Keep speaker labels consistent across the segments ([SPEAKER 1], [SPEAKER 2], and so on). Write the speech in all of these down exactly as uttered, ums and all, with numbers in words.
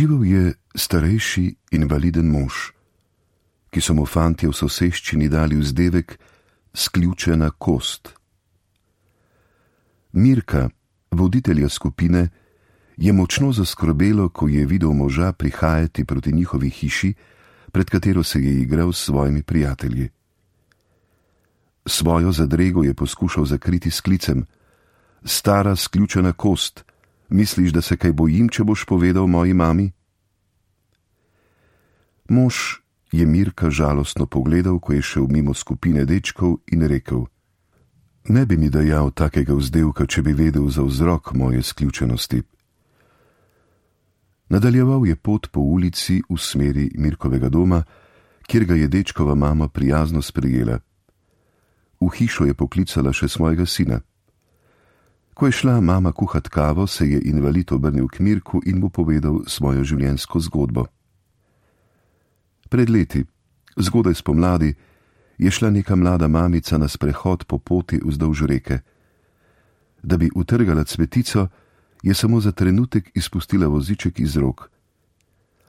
[SPEAKER 1] Živel je starejši invaliden mož, ki so mu fantje v soseščini dali vzdevek sključena kost. Mirka, voditelja skupine, je močno zaskrbelo, ko je videl moža prihajati proti njihovi hiši, pred katero se je igral s svojimi prijatelji. Svojo zadrego je poskušal zakriti s klicem: stara sključena kost, misliš, da se kaj bojim, če boš povedal moji mami? Mož je Mirka žalostno pogledal, ko je šel mimo skupine dečkov, in rekel: ne bi mi dajal takega vzdevka, če bi vedel za vzrok moje sključenosti. Nadaljeval je pot po ulici v smeri Mirkovega doma, kjer ga je dečkova mama prijazno sprejela. V hišo je poklicala še svojega sina. Ko je šla mama kuhat kavo, se je invalid obrnil k Mirku in mu povedal svojo življenjsko zgodbo. Pred leti, zgodaj spomladi, je šla neka mlada mamica na sprehod po poti vzdolž reke. Da bi utrgala cvetico, je samo za trenutek izpustila voziček iz rok.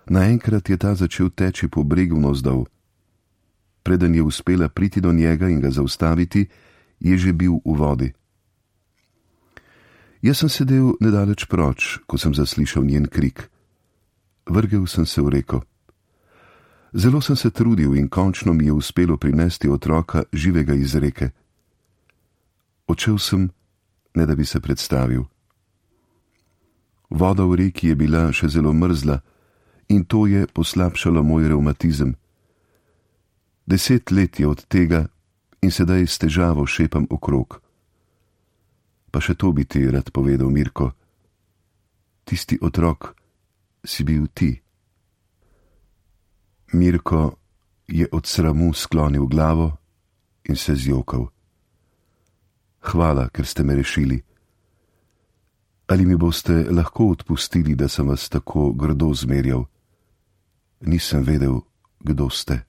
[SPEAKER 1] Naenkrat je ta začel teči po bregu navzdol. Preden je uspela priti do njega in ga zaustaviti, je že bil v vodi. Jaz sem sedel nedaleč proč, ko sem zaslišal njen krik. Vrgel sem se v reko. Zelo sem se trudil in končno mi je uspelo prinesti otroka živega iz reke. Odšel sem, ne da bi se predstavil. Voda v reki je bila še zelo mrzla in to je poslabšalo moj revmatizem. Deset let je od tega in sedaj s težavo šepam okrog. Pa še to bi ti rad povedal, Mirko. Tisti otrok si bil ti. Mirko je od sramu sklonil glavo in se zjokal. Hvala, ker ste me rešili. Ali mi boste lahko odpustili, da sem vas tako grdo zmerjal? Nisem vedel, kdo ste.